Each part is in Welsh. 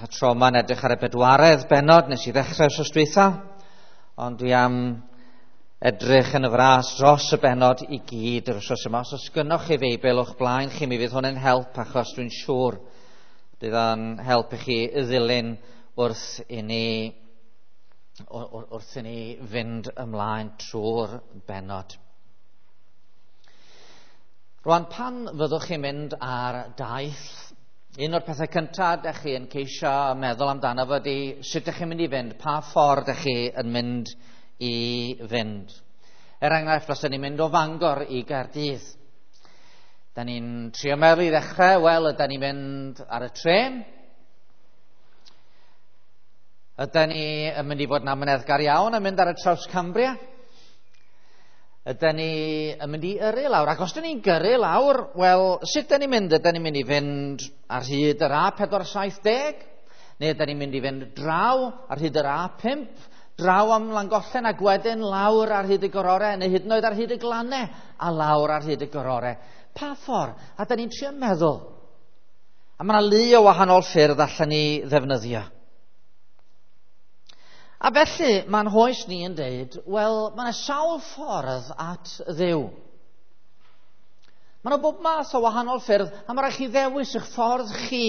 Y tro yma'n edrych ar y bedwaredd bennod, nes i ddechrau wrth dwytha, ond dwi am edrych yn y fras dros y bennod i gyd yr wythnos yma. Os oes gynnoch chi Feibl o'ch blaen chi, mi fydd hwn yn help, achos dwi'n siŵr bydd o'n help i chi ddilyn wrth i ni fynd ymlaen trwy'r bennod. Rwan, pan fyddwch chi'n mynd ar daith, un o'r pethau cyntaf ydych chi yn ceisio meddwl amdano fo ydy sut ydych chi'n mynd i fynd, pa ffordd ydych chi yn mynd i fynd. Er enghraifft, os ydych ni'n mynd o Fangor i Gaerdydd, da ni'n trio meddwl i ddechrau, wel, ydyn ni'n mynd ar y trên? Ydyn ni yn mynd i fod yn amyneddgar iawn yn mynd ar y Traws Cambria? Ydyn ni yn mynd i yrru lawr? Ac os ydyn ni'n gyrru lawr, wel, sut ydyn ni'n mynd? Ydyn ni'n mynd i fynd ar hyd yr A470? Neu ydyn ni'n mynd i fynd draw ar hyd yr A5? Draw am Langollen ac wedyn lawr ar hyd y gorore, neu hyd yn oed ar hyd y glannau a lawr ar hyd y gorore. Pa ffordd? A dyn ni'n trio meddwl. A mae yna lu o wahanol ffyrdd allan ni ddefnyddio. A felly, mae'n hoes ni yn deud, wel, mae yna sawl ffordd at Dduw. Mae yna bob math o wahanol ffyrdd, a mae rhaid chi ddewis eich ffordd chi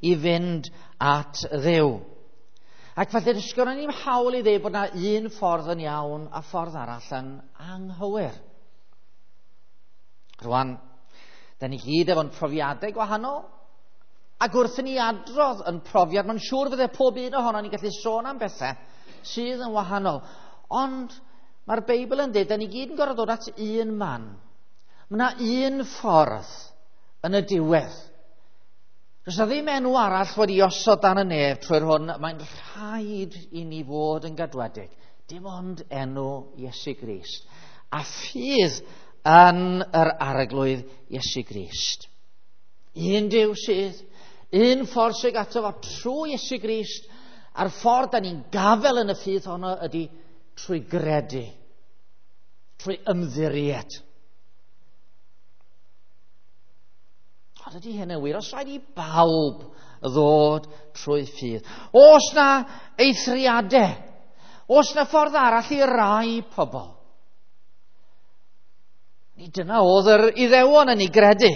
i fynd at Dduw. Ac felly, does gynnon ni'm hawl i ddeud bod yna un ffordd yn iawn a ffordd arall yn anghywir. Rwan, da ni gyd efo'n profiadau gwahanol, ac wrth i ni adrodd yn profiad, mae'n siŵr fydde pob un ohono ni'n gallu sôn am bethau sydd yn wahanol. Ond mae'r Beibl yn dweud, da ni gyd yn gorfod dod at un man. Mae yna un ffordd yn y diwedd. Does yna ddim enw arall wedi osod dan y nef trwy'r hwn, mae'n rhaid i ni fod yn gadwedig. Dim ond enw Iesu Grist. A ffydd yn yr Arglwydd Iesu Grist. Un Duw sydd, un ffordd sydd ato fo trwy Iesu Grist, a'r ffordd da ni'n gafel yn y ffydd honno ydy trwy gredu, trwy ymddiried. Ond ydy hyn yn wir? Os rhaid i bawb ddod trwy ffydd? Oes na eithriadau? Oes na ffordd arall i rai pobl? Ni dyna oedd yr Iddewon yn ei gredu.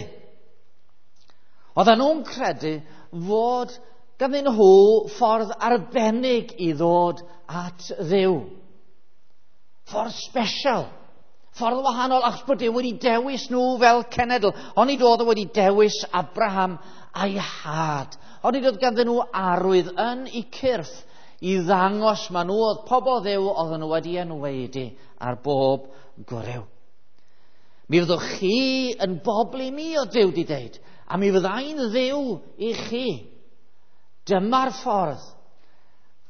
Oedden nhw'n credu fod ganddyn nhw ffordd arbennig i ddod at Dduw. Ffordd special. Ffordd wahanol, achos bod Duw wedi dewis nhw fel cenedl. Onid oedd o wedi dewis Abraham a'i had. Onid oedd ganddyn nhw arwydd yn eu cyrff i ddangos ma nhw oedd pobl Dduw oedden nhw wedi enwaedu ar bob gwryw. Mi fyddwch chi yn bobl i mi, oedd Duw wedi deud, a mi fyddai'n Dduw i chi. Dyma'r ffordd,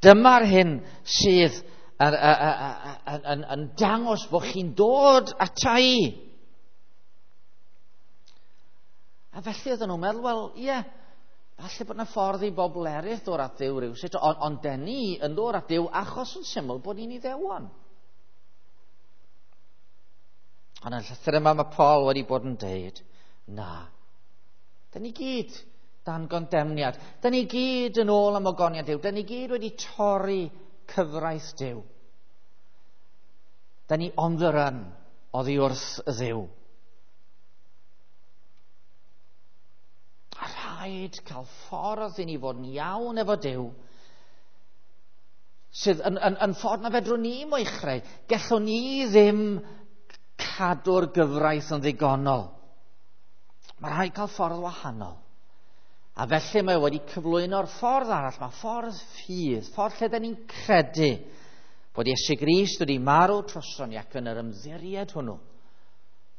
dyma'r hyn sydd yn dangos bod chi'n dod ata i. A felly oedden nhw'n meddwl, wel, ie, falle bod yna ffordd i bobl eraill ddod at Dduw rywsut, ond den ni yn dod at Dduw achos yn syml bod ni'n Iddewon. Ond yn y llythyr yma mae Paul wedi bod yn deud, na, den ni gyd dan gondemniad. Da ni gyd yn ôl am ogoniant Duw. Da ni gyd wedi torri cyfraith Duw. Da ni on the run oddi wrth Dduw. A rhaid cael ffordd i ni fod yn iawn efo Duw sydd yn ffordd na fedrwn ni mo'i chreu. Gellwn ni ddim cadw'r gyfraith yn ddigonol. Mae rhaid cael ffordd wahanol. A felly mae wedi cyflwyno'r ffordd arall, mae ffordd ffydd, ffordd lle da ni'n credu bod Iesu Grist wedi marw droson ni ac yn yr ymddiried hwnnw,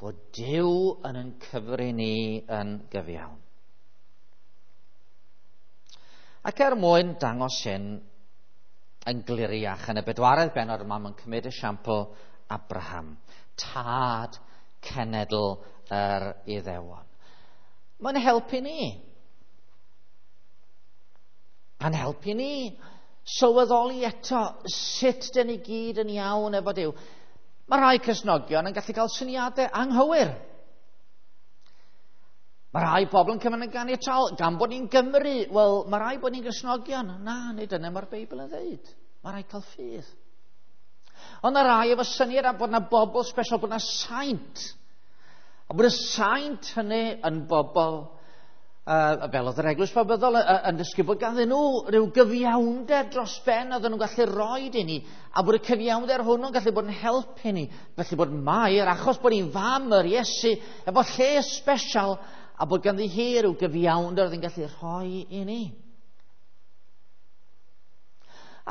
bod Duw yn cyfri ni yn gyfiawn. Ac er mwyn dangos hyn yn gliriach, yn y bedwaredd bennod yma, mae'n cymryd esiampl Abraham, tad cenedl yr Iddewon. Mae'n helpu ni. A'n helpu ni sylweddoli eto sut dyn ni gyd yn iawn efo Duw. Mae rhai Cristnogion yn gallu cael syniadau anghywir. Mae rhai pobl yn cymryd yn ganiataol, gan bod ni'n Gymru, wel, mae rhai bod ni'n Gristnogion. Na, nid dyna mae'r Beibl yn dweud. Mae rhai cael ffydd. Ond mae rhai efo syniad am bod yna bobl special, bod yna saint. A bod y saint hynny yn bobl, fel oedd yr Eglwys Babyddol yn dysgu bod ganddyn nhw rhyw gyfiawnder dros ben oedden nhw'n gallu rhoi i ni, a bod y cyfiawnder hwnnw'n gallu bod yn helpu ni. Felly bod Mair, achos bod hi'n fam yr Iesu, efo lle special, a bod ganddi hi rhyw gyfiawnder oedd yn gallu rhoi i ni.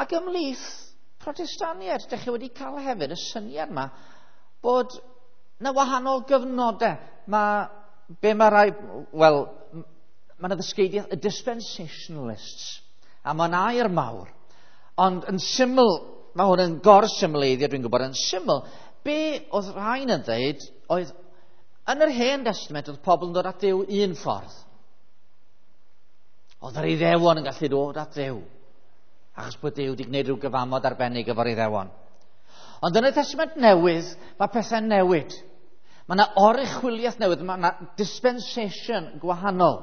Ac ymhlith Protestaniaid, dych chi wedi cael hefyd y syniad yma bod na wahanol gyfnodau. Mae, be mae rai, wel, mae yna ddysgeidiaeth, y dispensationalists, a mae'n air mawr. Ond yn syml, mae hwn yn gorsymleiddio, dwi'n gwybod, yn syml, be oedd rhain yn dweud oedd, yn yr Hen Testament oedd pobl yn dod at Dduw un ffordd. Oedd yr Iddewon yn gallu dod at Dduw, achos bod Duw wedi gwneud rhyw gyfamod arbennig efo'r Iddewon. Ond yn y Testament Newydd, mae pethau'n newid. Mae yna oruchwyliaeth newydd, mae yna dispensation gwahanol.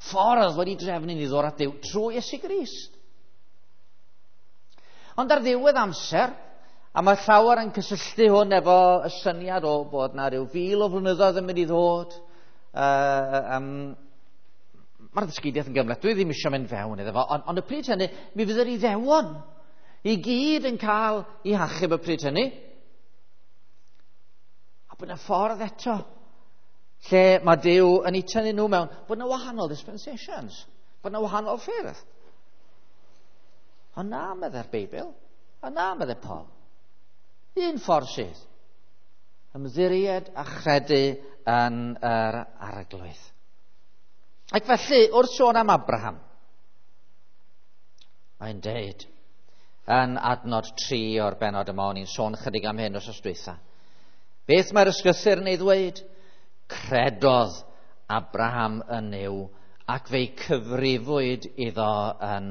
Ffordd wedi drefnu ni ddod at Dduw trwy Iesu Grist. Ond ar ddiwedd amser, a mae llawer yn cysylltu hwn efo y syniad o bod na rhyw 1,000 o flynyddoedd yn mynd i ddod. Mae'r ddysgeidiaeth yn gymhleth, dwi ddim eisiau mynd fewn iddo fo, ond y pryd hynny, mi fydd yr Iddewon i gyd yn cael eu hachub y pryd hynny. A bod yna ffordd eto lle mae Duw yn eu tynnu nhw mewn, bod yna wahanol dispensations, bod yna wahanol ffyrdd. Ond na, meddai'r Beibl, a na, meddai Paul. Un ffordd sydd, ymddiried a chredu yn yr Arglwydd. Ac felly, wrth sôn am Abraham, mae'n deud yn adnod 3 o'r benod yma, o'n i'n sôn chydig am hyn wrth dwytha. Beth mae'r ysgrythur yn ei ddweud? Credodd Abraham yn Nuw ac fe'i cyfrifwyd iddo yn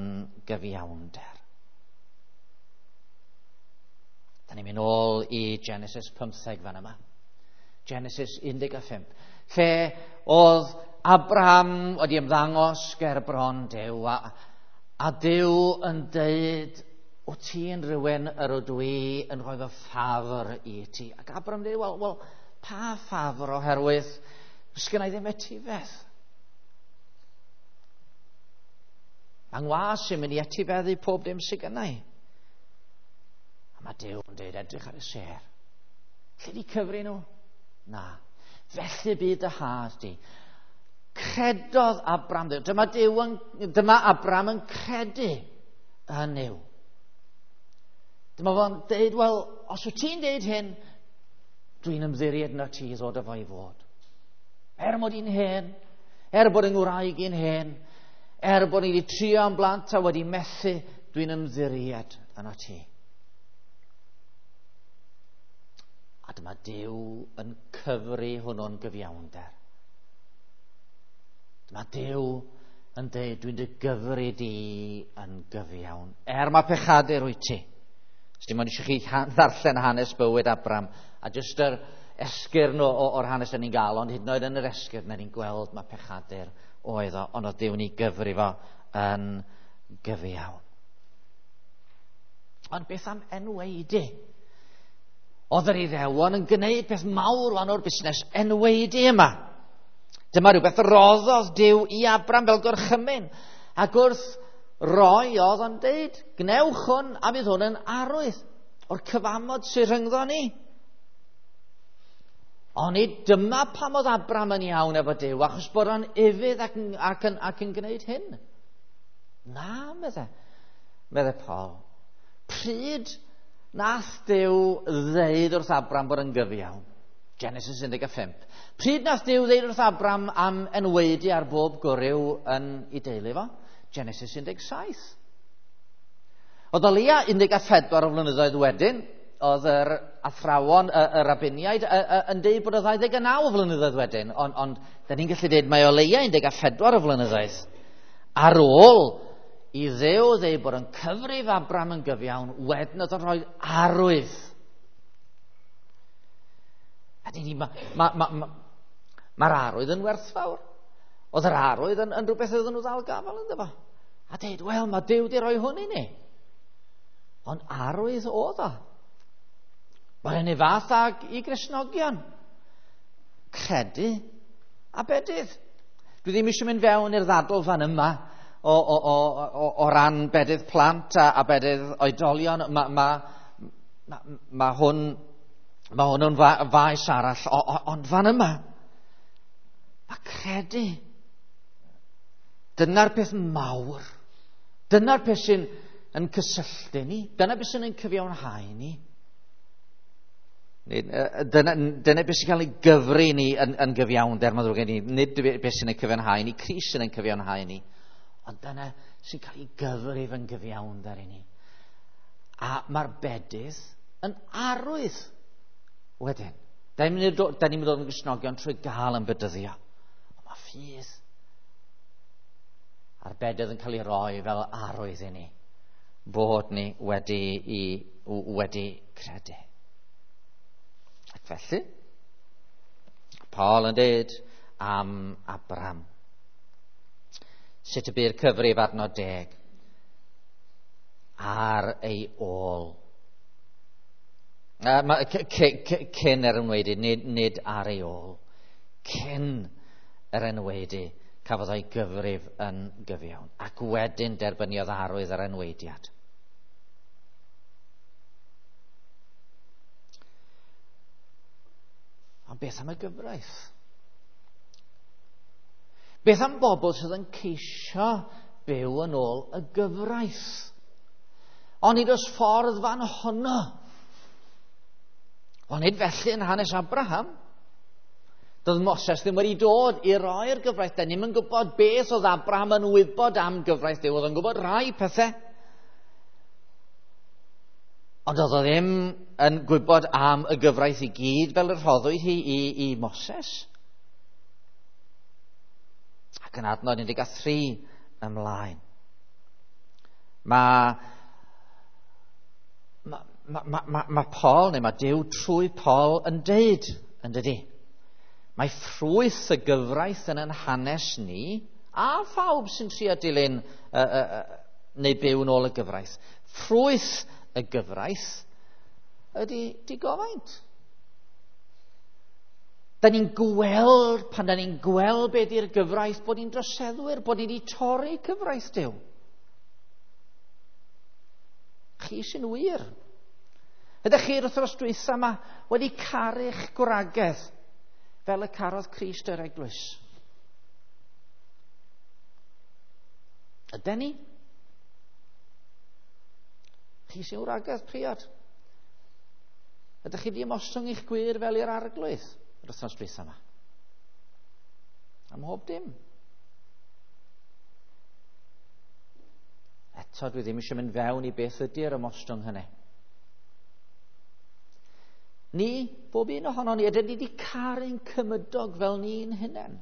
gyfiawnder. Da ni'n mynd ôl i Genesis 15 fan yma. Genesis 15. Lle oedd Abraham wedi ymddangos ger bron Duw a Duw yn deud, o ti yn rhywun yr ydw i yn rhoi fy ffafr i ti. Ac Abraham dweud, wel, pa ffafr, oherwydd sgynna i ddim etifedd. Mae ngwas yn mynd i etifeddu pob dim sydd gynna i. A mae Duw yn dweud, edrych ar y sêr. Lle di cyfri nhw? Na. Felly bydd dy had di. Credodd Abraham Dduw. Dyma Abraham yn credu yn Nuw. Dyma fo'n deud, wel, os wyt ti'n deud hyn, dwi'n ymddiried yna ti i ddod â fo i fod. Er mod i'n hen, er bod yng ngwraig i'n hen, er bod ni wedi trio am blant a wedi methu, dwi'n ymddiried yna ti. A dyma Duw yn cyfri hwnnw'n gyfiawnder. Dyma Duw yn deud, dwi'n dy gyfri di yn gyfiawn. Er mae pechadur wyt ti. Dim ond eisiau chi ddarllen hanes bywyd Abraham, a jyst yr esgyrn o'r hanes ni'n gael, ond hyd yn oed yn yr esgyrn ni'n gweld mae pechadur oedd o, ond oedd Duw'n ei gyfri fo yn gyfiawn. Ond beth am enwaedu? Oedd yr Iddewon yn gwneud peth mawr wan o'r busnes enwaedu yma. Dyma rhywbeth roddodd Duw i Abraham fel gorchymyn. Ac wrth roi oedd o'n deud, gnewch hwn a fydd hwn yn arwydd o'r cyfamod sydd rhyngddo ni. Ond nid dyma pam oedd Abraham yn iawn efo Duw, achos bod o'n ufudd ac yn gwneud hyn. Na, meddai Paul. Pryd nath Duw ddeud wrth Abraham bod yn gyfiawn? Genesis 15. Pryd nath Duw ddeud wrth Abraham am enwaedu ar bob gwryw yn ei deulu fo? Genesis 17. Oedd o leia 14 o flynyddoedd wedyn, oedd yr athrawon, y rabiniaid, yn deud bod o 29 o flynyddoedd wedyn, ond da ni'n gallu deud mae o leia 14 o flynyddoedd. Ar ôl i Dduw ddeud bod yn cyfrif Abraham yn gyfiawn, wedyn oedd o'n rhoi arwydd. A mae'r arwydd yn werthfawr. Oedd yr arwydd yn rhywbeth oedden nhw ddal gafel ynddo fo. A dweud, wel, mae Duw wedi rhoi hwn i ni. Ond arwydd oedd o. Mae'r un fath ag i Gristnogion. Credu a bedydd. Dwi ddim eisiau mynd fewn i'r ddadl fan yma o ran bedydd plant a bedydd oedolion. Mae hwn yn faes arall, ond fan yma, mae credu. Dyna'r peth mawr. Dyna'r peth sy'n yn cysylltu ni. Dyna beth sy'n yn cyfiawnhau ni. Dyna beth sy'n cael ei gyfri ni yn gyfiawnder, mae'n ddrwg gen i. Nid beth sy'n ei cyfiawnhau ni, Crist sy'n ein cyfiawnhau ni. Ond dyna sy'n cael ei gyfrif yn gyfiawnder i ni. A mae'r bedydd yn arwydd wedyn. Da ni'n mynd i ddod yn Gristnogion trwy gael yn bedyddio. Ond mae ffydd a'r bedydd yn cael ei roi fel arwydd i ni bod ni wedi credu. Ac felly, Paul yn dweud am Abraham. Sut y bu'r cyfrif adnod 10 ar ei ôl. Cyn yr enwaedu, nid ar ei ôl. Cyn yr enwaedu, cafodd o'i gyfrif yn gyfiawn. Ac wedyn derbyniodd arwydd yr enwaediad. Ond beth am y gyfraith? Beth am bobl sydd yn ceisio byw yn ôl y gyfraith? Ond nid oes ffordd fan honno. Ond nid felly yn hanes Abraham. Doedd Moses ddim wedi dod i roi'r gyfraith. Da ni'm yn gwybod beth oedd Abraham yn wybod am gyfraith Duw. Oedd yn gwybod rhai pethau. Ond oedd o ddim yn gwybod am y gyfraith i gyd fel y rhoddwyd hi i Moses. Ac yn adnod 13 ymlaen. Mae Paul, neu mae Duw trwy Paul yn deud, yn dydi? Mae ffrwyth y gyfraith yn ein hanes ni, a phawb sy'n trio dilyn neu byw yn ôl y gyfraith. Ffrwyth y gyfraith ydy digofaint. Da ni'n gweld, pan da ni'n gweld beth yw'r gyfraith, bod ni'n droseddwyr, bod ni wedi torri cyfraith Duw. Chi sy'n wir. Ydych chi'r wythnos dwytha yma wedi caru'ch gwragedd fel y carodd Crist yr eglwys? Yden ni? Chi sy'n wragedd priod? Ydych chi wedi ymostwng eich gwir fel i'r arglwydd yr wythnos dwytha yma? Am hob dim. Eto dwi ddim eisiau mynd fewn i beth ydy'r ymostwng hynny. Ni, bob un ohonon ni, ydyn ni wedi caru'n cymydog fel ni'n hunain?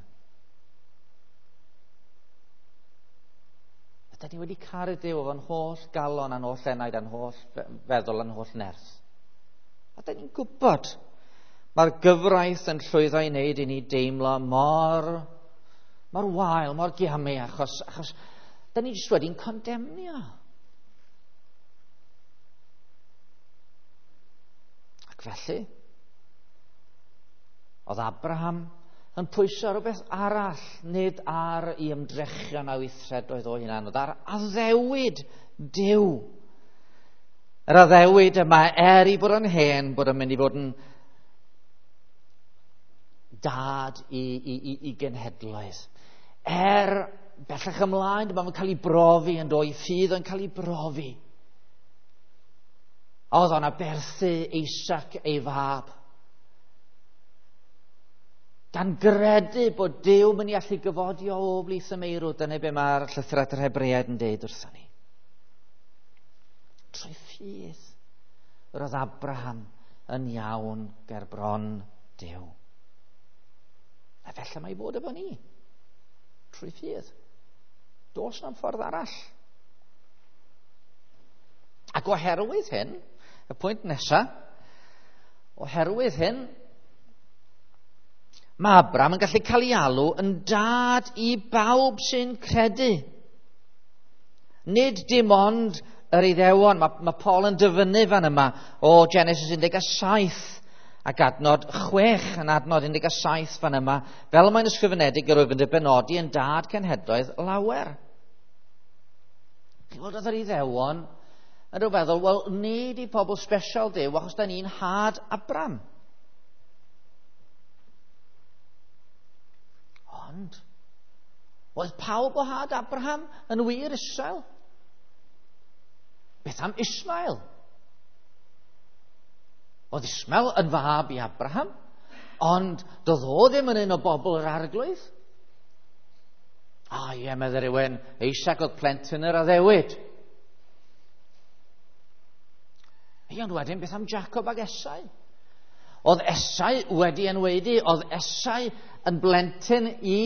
Ydyn ni wedi caru Duw efo'n holl galon a'n holl enaid a'n holl feddwl a'n holl nerth? A dyn ni'n gwybod mae'r gyfraith yn llwyddo i wneud i ni deimlo mor wael, mor giamu, achos dyn ni jyst wedi'n condemnio. Ac felly, oedd Abraham yn pwyso rhywbeth arall, nid ar ei ymdrechion a weithredoedd o hunan, oedd ar addewid Duw. Yr addewid yma, er i bod yn hen, bod yn mynd i fod yn dad i genhedloedd. Er bellach ymlaen, mae'n cael ei brofi yn dod, ffydd yn cael ei brofi. Oedd o'n aberthu Isaac ei fab. Gan gredu bod Duw mynd i allu gyfodi o blith y meirw. Dyna be mae'r llythyr at yr Hebreaid yn deud wrthon ni. Trwy ffydd yr oedd Abraham yn iawn ger bron Duw. A felly mae i fod efo ni. Trwy ffydd. Does na'm ffordd arall. Ac oherwydd hyn, y pwynt nesaf, oherwydd hyn, Mae Abraham yn gallu cael ei alw yn dad i bawb sy'n credu. Nid dim ond yr Iddewon. Mae Paul yn dyfynnu fan yma o Genesis 17 ac adnod 6 yn adnod 17 fan yma, fel mae'n ysgrifenedig yr wyf yn dy benodi yn dad cenhedloedd lawer. Chi'n gwybod, oedd yr Iddewon yn rhyw feddwl, wel, nid i pobl special Duw, achos da ni'n had Abram. Ond, oedd pawb o had Abraham yn wir Israel? Beth am Ismael? Oedd Ismael yn fab i Abraham, ond doedd o ddim yn un o bobl yr arglwydd. A ie, meddai rhywun, Isaac oedd plentyn yr addewid. Ie, ond wedyn, beth am Jacob ag Esau? Oedd Esau wedi enwedu, oedd Esau yn blentyn i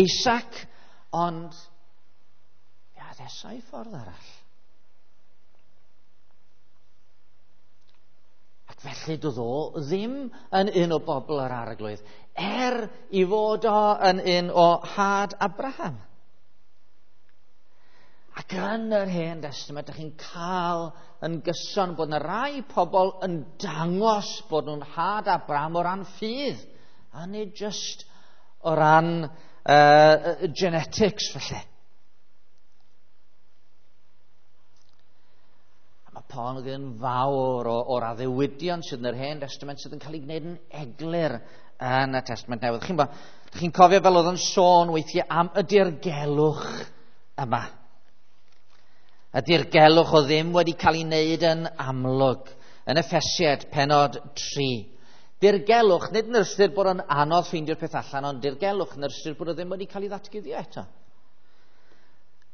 Isaac, ond ia, oedd Esau ffordd arall. Ac felly doedd o ddim yn un o bobl yr arglwydd, er i fod o yn un o had Abraham. Ac yn yr Hen Testament, ydych chi'n cael yn gyson bod yna rai pobl yn dangos bod nhw'n had Abraham o ran ffydd, a nid just o ran genetics, felly. A mae Paul yn gwneud yn fawr o'r addewidion sydd yn yr Hen Testament sydd yn cael ei gwneud yn eglur yn y Testament Newydd. Chi'n cofio fel oedd yn sôn weithiau am y dirgelwch yma. Y dirgelwch o ddim wedi cael ei wneud yn amlwg yn Effesiaid penod 3. Dirgelwch, nid yn ystyr bod o'n anodd ffeindio'r peth allan, ond dirgelwch yn ystyr bod o ddim wedi cael ei ddatguddio eto.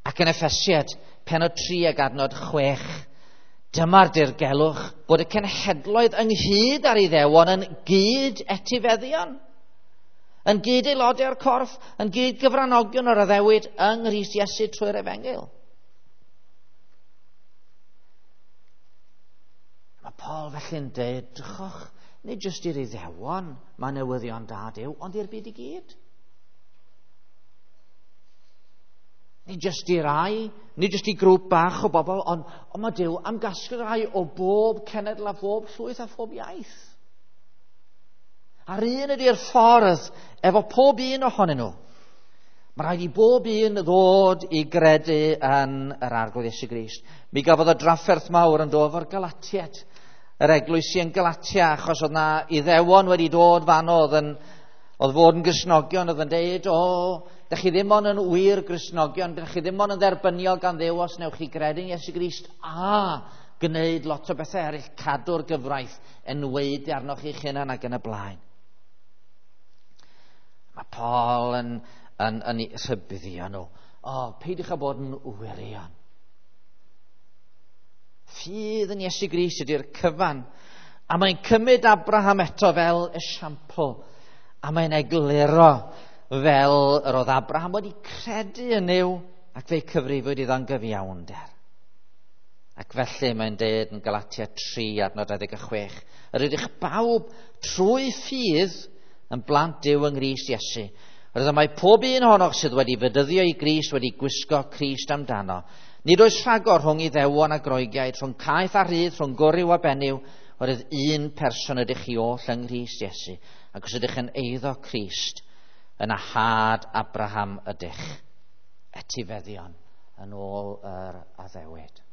Ac yn Effesiaid penod 3 ag adnod 6, dyma'r dirgelwch bod y cenhedloedd ynghyd ar Iddewon yn gyd etifeddion, yn gyd aelodau o'r corff, yn gyd gyfranogion o'r addewid yng Nghrist Iesu trwy'r Efengyl. Mae Paul felly'n dweud, drychwch, nid jyst i'r Iddewon mae newyddion da Duw, ond i'r byd i gyd. Nid jyst i rai, nid jyst i grŵp bach o bobl, ond mae Duw am gasglu rai o bob cenedl a phob llwyth a phob iaith. A'r un ydy'r ffordd efo pob un ohonyn nhw. Mae rhaid i bob un ddod i gredu yn yr Arglwydd Iesu Grist. Mi gafodd y drafferth mawr yn dod o'r Galatiaid, yr eglwysi yn Galatia, achos oedd na Iddewon wedi dod fan oedd fod yn Gristnogion, oedd yn deud, o, dych chi ddim ond yn wir Gristnogion, dych chi ddim ond yn dderbyniol gan Dduw os newch chi gredu yn Iesu Grist, a gwneud lot o bethau eraill, cadw'r gyfraith, enwaedu arnoch chi'ch hunan ac yn y blaen. Mae Paul yn rhybuddio nhw. O, peidiwch â bod yn wirion. Ffydd yn Iesu Grist ydy'r cyfan. A mae'n cymryd Abraham eto fel esiampl. A mae'n egluro fel yr oedd Abraham wedi credu yn Nuw ac fe'i cyfrifwyd iddo'n gyfiawnder. Ac felly mae'n deud yn Galatia 3 adnod 26, yr ydych bawb trwy ffydd yn blant Duw yng Nghrist Iesu. Roedd mae pob un ohonoch sydd wedi fedyddio i Grist wedi gwisgo Crist amdano. Nid oes rhagor rhwng Iddewon a Groegiaid, rhwng caeth a rhydd, rhwng gwryw a benyw, oherwydd un person ydych chi oll yng Nghrist Iesu. Ac os ydych yn eiddo Crist, yna had Abraham ydych, etifeddion yn ôl yr addewid.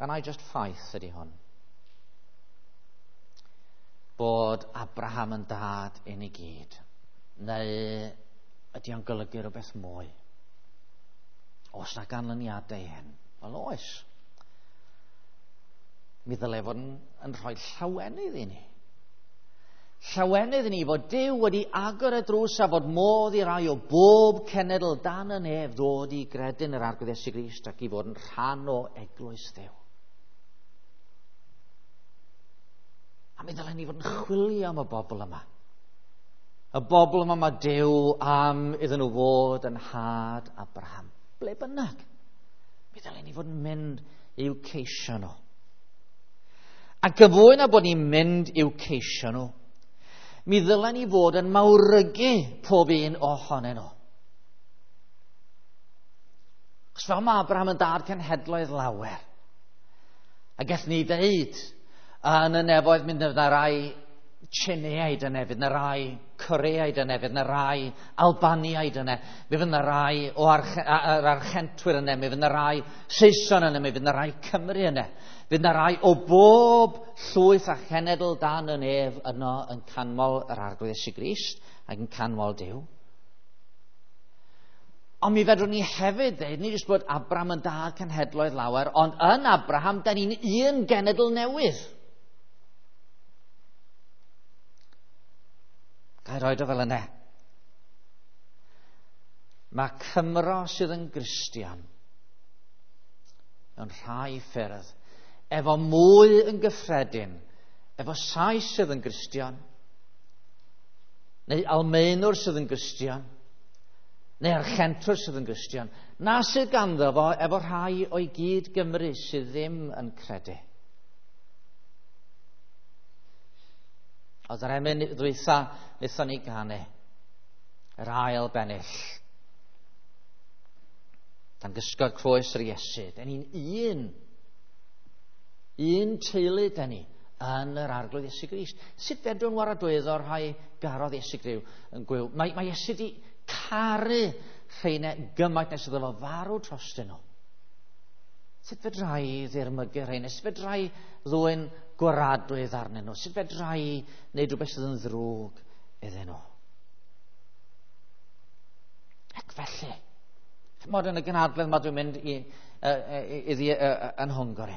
Rhan just ffaith ydy hwn. Bod Abraham yn dad i ni gyd. Neu ydy o'n golygu rhywbeth mwy? Oes na ganlyniadau hyn? Wel, oes. Mi ddylai fod yn rhoi llawenydd i ni. Llawenydd i ni fod Duw wedi agor y drws a fod modd i rai o bob cenedl dan y nef ddod i gredu yn yr Arglwydd Iesu Grist ac i fod yn rhan o eglwys Dduw. A mi ddylen ni fod yn chwilio am y bobl yma. Y bobl yma mae Duw am iddyn nhw fod yn had Abraham. Ble bynnag. Mi ddylen ni fod yn mynd i'w ceisio nhw. Ac yn fwy na bod ni'n mynd i'w ceisio nhw, mi ddylen ni fod yn mawrygu pob un ohonyn nhw. Achos fel mae Abraham yn dad cenhedloedd lawer, a gallwn ni ddeud yn y nefoedd mynd yna rai Tsieineaid yna, fydd yna rai Coreaid yna, fydd yna rai Albaniaid yna, mi fydd yna rai o yr Archentwyr yna, mi fydd yna rai Saeson yna, mi fydd yna rai Cymru yna. Fydd yna rai o bob llwyth a chenedl dan y nef yno yn canmol yr Arglwydd Iesu Grist ac yn canmol Duw. Ond mi fedrwn ni hefyd dweud, nid jyst bod Abraham yn dad cenhedloedd lawer, ond yn Abraham, da ni'n un genedl newydd. Ga i roed o fel yna. Mae Cymro sydd yn Gristion mewn rhai ffyrdd efo mwy yn gyffredin, efo Sais sydd yn Gristion, neu Almaenwr sydd yn Gristion, neu Archentwr sydd yn Gristion, na sydd ganddo fo efo rhai o'i gyd Gymru sydd ddim yn credu. Oedd yr emyn ddwytha wnaethon ni ganu, yr ail bennill. Dan gysgod croes yr Iesu. Den ni'n un. Un teulu den ni yn yr Arglwydd Iesu Grist. Sut fedrwn waradwyddo rhai garodd Iesu Griw yn gwyw? Mae, mae Iesu di caru rheina gymaint nes iddo fo farw trostyn nhw. Sut fedra i ddirmygu rheina? Sut fedra i ddwyn gwaradwydd arnyn nhw? Sut fedra i wneud rhywbeth sydd yn ddrwg iddyn nhw? Ac felly, chymod yn y gynhadledd ma dwi'n mynd i, iddi yn Hwngari.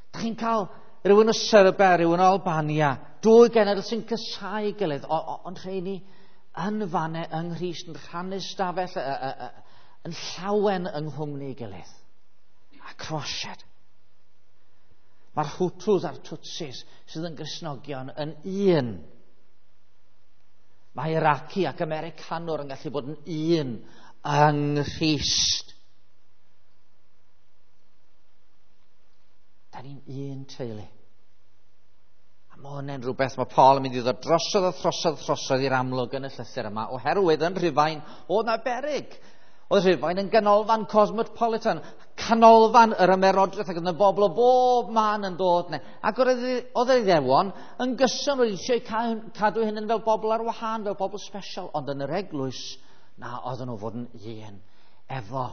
Da chi'n cael rhywun o Serbia, rhywun o Albania, dwy genedl sy'n cysau gilydd, ond rheini yn fanne yng Nghrist, yn rhannu stafell, yn llawen yng nghwmni gilydd. A Croasiad. Mae'r Hutus a'r Tutsis sydd yn Gristnogion yn un. Mae Iraqi ac Americanwr yn gallu bod yn un yng Nghrist. Da ni'n un teulu. A mae hwnna'n rhywbeth mae Paul yn mynd i ddod drosodd a throsodd a throsodd i'r amlwg yn y llythyr yma, oherwydd yn Rhufain oedd na beryg. Oedd Rhufain yn ganolfan cosmopolitan, canolfan yr ymerodraeth, ac oedd yna bobl o bob man yn dod yna. Ac oedd yr Iddewon yn gyson wedi eisiau cadw hyn yn fel bobl ar wahân, fel bobl special, ond yn yr eglwys, na, oedden nhw fod yn un efo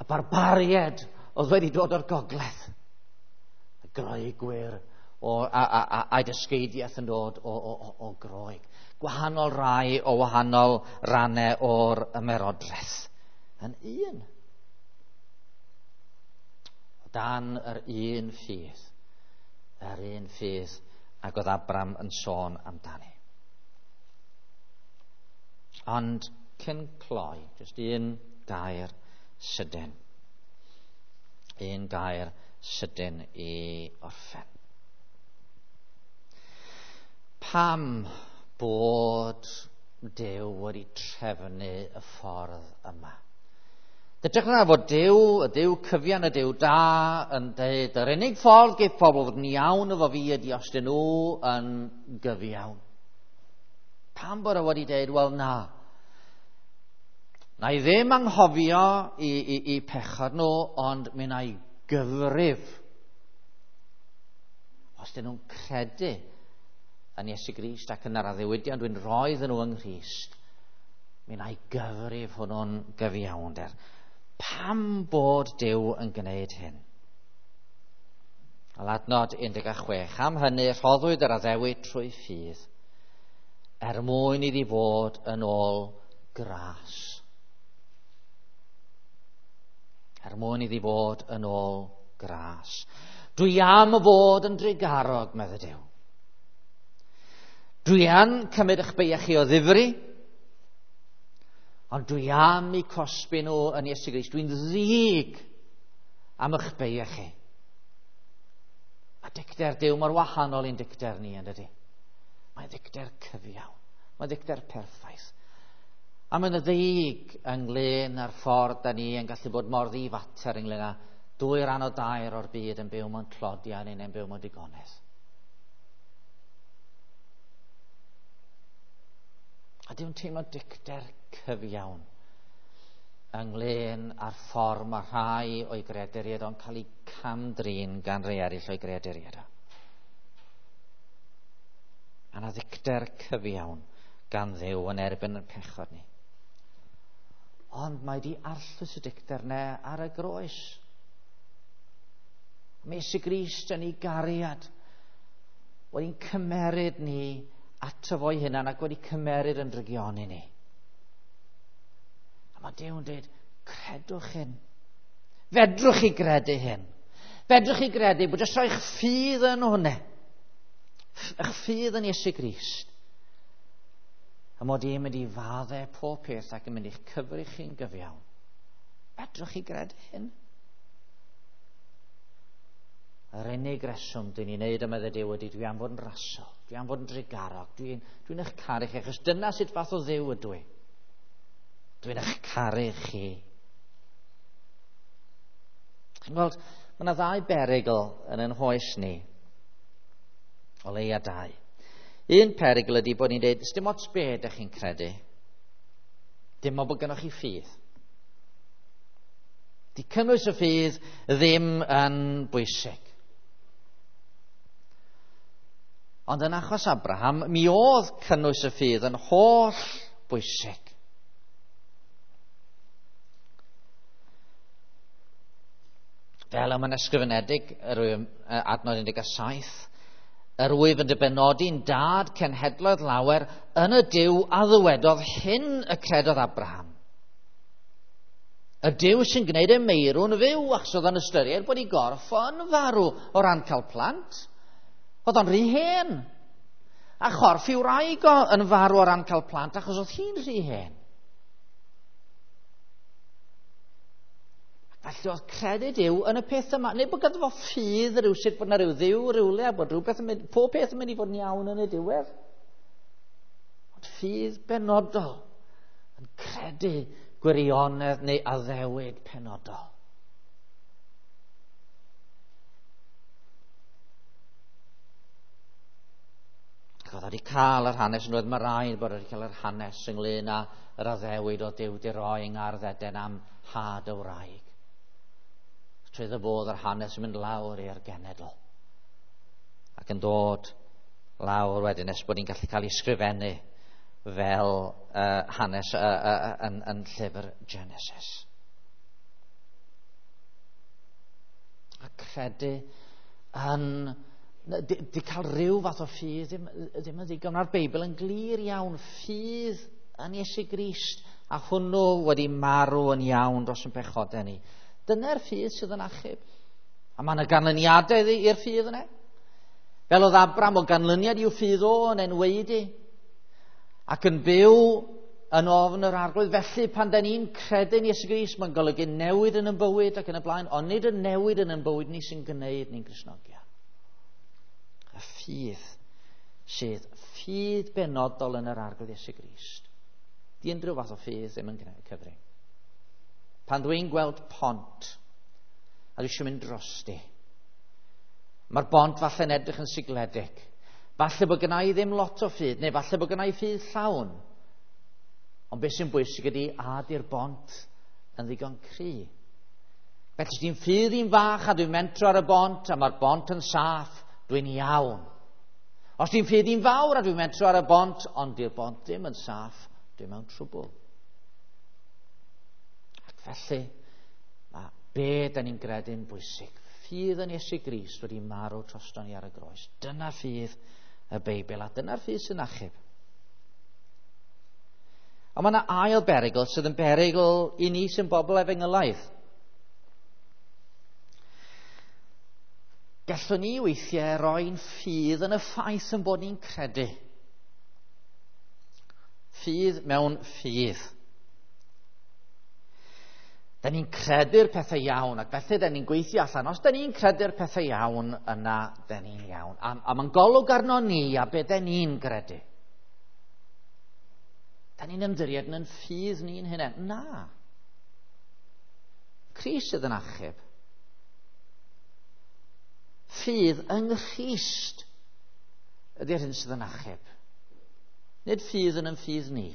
y barbaried oedd wedi dod o'r gogledd. Y Groegwyr a'i dysgeidiaeth yn dod o Groeg. Gwahanol rai o wahanol rannau o'r ymerodraeth. Yn un. O dan yr un ffydd. Yr un ffydd ac oedd Abram yn sôn amdani. Ond cyn cloi, jyst un gair sydyn. Un gair sydyn i orffen. Pam bod Duw wedi trefnu y ffordd yma? Dydych na fod Duw, y Duw cyfian, y Duw da, yn dweud yr unig ffordd geith pobl fod yn iawn efo fi ydy os dyn nhw yn gyfiawn. Pam bod e wedi dweud, wel na, na i ddim anghofio i pechod nhw, ond mi na i gyfrif. Os dyn nhw'n credu yn Iesu Grist ac yn yr addewidion dwi'n rhoi iddyn nhw yng Nghrist, mi na i gyfrif hwnnw'n gyfiawnder. Pam bod Duw yn gwneud hyn? Wel, adnod 16. Am hynny rhoddwyd yr addewid trwy ffydd, er mwyn iddi fod yn ôl gras. Er mwyn iddi fod yn ôl gras. Dwi am fod yn drugarog, medde Duw. Dwi am cymryd eich beiau chi o ddifri, ond dwi am eu cosbi nhw yn Iesu Grist. Dwi'n ddig am eich beiau chi. Mae dicter Duw mor wahanol i'n dicter ni, yn dydi? Mae'n ddicter cyfiawn. Mae'n ddicter perffaith. A mae'n ddig ynglyn â'r ffordd da ni yn gallu bod mor ddifater ynglyn â 2 rhan o 3 o'r byd yn byw mewn tlodi a ni'n byw mewn digonedd. A Duw'n teimlo dicter cyfiawn ynglyn â'r ffordd mae rhai o'i greaduriaid o'n cael eu cam-drin gan rei eraill o'i greaduriaid o. Mae yna ddicter cyfiawn gan Dduw yn erbyn y pechod ni. Ond mae di arllwys y dicter ne ar y groes. Mae Iesu Grist yn ei gariad wedi'n cymeryd ni ato fo'i hunan ac wedi cymeryd yn drygioni ni. A mae Duw yn dweud, credwch hyn. Fedrwch chi gredu hyn. Fedrwch chi gredu bod jyst rhoi'ch ffydd yn hwnna. Eich ffydd yn Iesu Grist. A mod i'n mynd i faddau pob peth ac yn mynd i'ch cyfri chi'n gyfiawn. Fedrwch chi gredu hyn? Yr unig reswm dyn ni'n neud am Dduw ydy dwi am fod yn rasol, dwi am fod yn drugarog, dwi'n dwi eich caru chi, achos dyna sut fath o Dduw ydw i. Dwi'n eich caru chi. Chi'n gweld, mae yna ddau berygl yn ein hoes ni. O leia dau. Un perygl ydy bod ni'n dweud, dim ots be ydych chi'n credu. Dim ond bod gennych chi ffydd. Di cynnwys y ffydd ddim yn bwysig. Ond yn achos Abraham, mi oedd cynnwys y ffydd yn holl bwysig. Fel y mae'n ysgrifenedig, adnod 17, yr wyf yn dy benodi'n dad cenhedloedd lawer yn y Duw a ddywedodd hyn y credodd Abraham. Y Duw sy'n gwneud y meirw'n fyw, achos oedd o'n ystyried bod ei gorff o'n farw o ran cael plant. Oedd o'n rhy hen. A chorff i'w wraig o yn farw o ran cael plant, achos oedd hi'n rhy hen. Felly oedd credu Duw yn y peth yma. Neu bod ganddo fo ffydd rywsut bod yna rhyw dduw rywle a bod rhywbeth yn mynd, pob peth yn mynd i fod yn iawn yn y diwedd. Ond ffydd benodol yn credu gwirionedd neu addewid penodol. Ac oedd wedi cael yr hanes, yn roedd mae rhaid bod wedi cael yr hanes ynglyn â yr addewid o Duw di roi yng Ngardd Eden am had y wraig. Trwy bod yr hanes yn mynd lawr i'r genedl. Ac yn dod lawr wedyn nes bod ni'n gallu cael ei sgrifennu fel hanes yn llyfr Genesis. A credu yn... Di cael rhyw fath o ffydd ddim yn ddigon. Mae'r Beibl yn glir iawn. Ffydd yn Iesu Grist a hwnnw wedi marw yn iawn dros yn pechodau ni. Dyna'r ffydd sydd yn achub. A mae yna ganlyniadau i'r ffydd yna. Fel oedd Abraham o ganlyniad i'w ffydd o yn enwaedu ac yn byw yn ofn yr Arglwydd. Felly pan da ni'n credu yn Iesu Grist, mae'n golygu newid yn ein bywyd ac yn y blaen, ond nid y newid yn ein bywyd ni sy'n gwneud ni'n Gristnogion. Y ffydd sydd ffydd benodol yn yr Arglwydd Iesu Grist. Di unrhyw fath o ffydd ddim yn cyfri. Pan dwi'n gweld pont, a dwi eisiau mynd drosti, mae'r bont falle'n edrych yn sigledig. Falle bod gynna i ddim lot o ffydd, neu falle bod gynna i ffydd llawn. Ond beth sy'n bwysig ydy, a di'r bont yn ddigon cry. Felly, os dwi'n ffydd i'n fach a dwi'n mentro ar y bont, a mae'r bont yn saff, dwi'n iawn. Os dwi'n ffydd i'n fawr a dwi'n mentro ar y bont, ond di'r bont ddim yn saff, dwi'n mewn trwbl. Ac felly, mae be da ni'n gredu'n bwysig. Ffydd yn Iesu Grist wedi marw drosto ni ar y groes. Dyna ffydd y Beibl, a dyna'r ffydd sy'n achub. A mae yna ail berygl sydd yn berygl i ni sy'n bobl efengylaidd. Gallwn ni weithiau roi'n ffydd yn y ffaith yn bod ni'n credu. Ffydd mewn ffydd. Da ni'n credu'r pethau iawn, ac felly da ni'n gweithio allan. Os da ni'n credu'r pethau iawn, yna da ni'n iawn. A mae'n golwg arno ni a be da ni'n gredu. Da ni'n ymddiried yn ffydd ni'n hunain. Na. Crist sydd yn achub. Ffydd yng Nghrist ydy'r hyn sydd yn achub. Nid ffydd yn ffydd ni.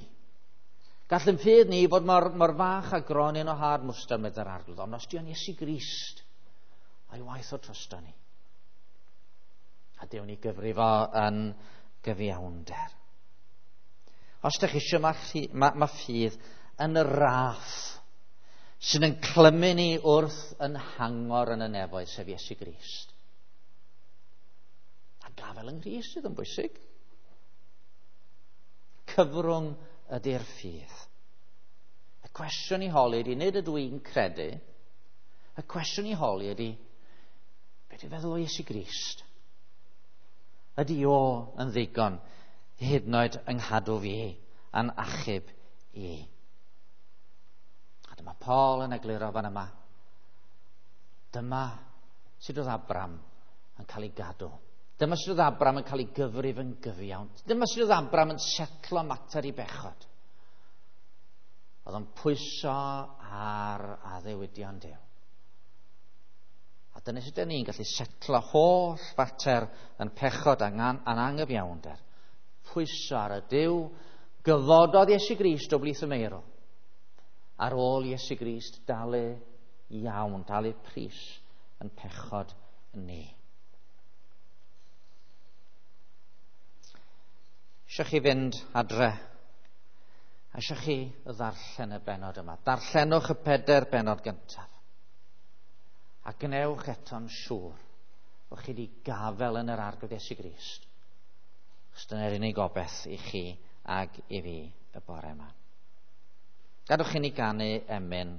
Gall yn ffydd ni fod mor fach a gronyn o had mwstard, meddai'r Arglwydd, ond os di o'n Iesu Grist, a'i waith o drosto ni. A Duw ni gyfrifo yn gyfiawnder. Os ydych chi eisiau, mae ffydd yn y raff sydd yn clymu ni wrth yn hangor yn y nefoedd, sef Iesu Grist. A gafel yng Nghrist sydd yn bwysig. Cyfrwng ydy'r ffydd. Y cwestiwn i holi ydy, nid ydw i'n credu, y cwestiwn i holi ydy, beth dwi'n feddwl o Iesu Grist? Ydy o yn ddigon hyd yn oed yng nghadw fi a'n achub i? A dyma Paul yn egluro fan yma. Dyma sut oedd Abram yn cael ei gadw. Dyma sut oedd Abram yn cael ei gyfrif yn gyfiawn. Dyma sut oedd Abram yn setlo mater i bechod. Oedd o'n pwyso ar addewidion Duw. A dyna sut ni'n gallu setlo holl fater yn pechod a'n angyfiawnder. Pwyso ar y Duw gyfododd Iesu Grist o blith y meirw. Ar ôl Iesu Grist dalu iawn, dalu pris yn pechod ni. Eisiau chi fynd adre, a eisiau chi ddarllen y bennod yma. Darllenwch y 4 bennod gyntaf. A gwnewch eto'n siŵr bod chi wedi gafel yn yr Arglwydd Iesu Grist. Achos dyna'r unig gobaith i chi ag i fi y bore yma. Gadwch i ni ganu emyn.